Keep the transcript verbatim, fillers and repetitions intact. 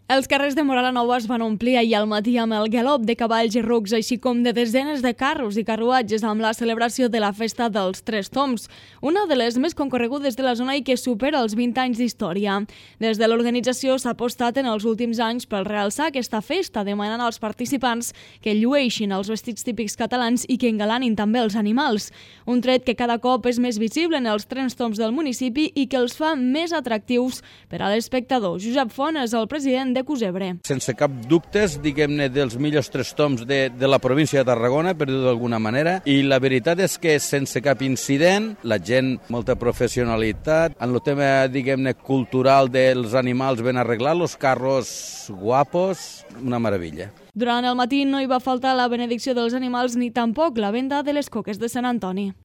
Els carrers de Móra la Nova es van omplir ahir al matí amb el galop de cavalls i rucs, així com de desenes de carros i carruatges amb la celebració de la Festa dels Tres Tombs, una de les més concorregudes de la zona i que supera els vint anys d'història. Des de l'organització s'ha apostat en els últims anys per realçar aquesta festa, demanant als participants que llueixin els vestits típics catalans i que engalanin també els animals. Un tret que cada cop és més visible en els Tres Tombs del municipi i que els fa més atractius per a l'espectador. Josep Font és el president de Cusebre. Sense cap dubtes, diguem-ne, dels millors tres tombs de, de la província de Tarragona, per dir-ho d'alguna manera, i la veritat és que sense cap incident, la gent, molta professionalitat, en el tema, diguem-ne, cultural dels animals ben arreglat, los carros guapos, una meravella. Durant el matí no hi va faltar la benedicció dels animals ni tampoc la venda de les coques de Sant Antoni.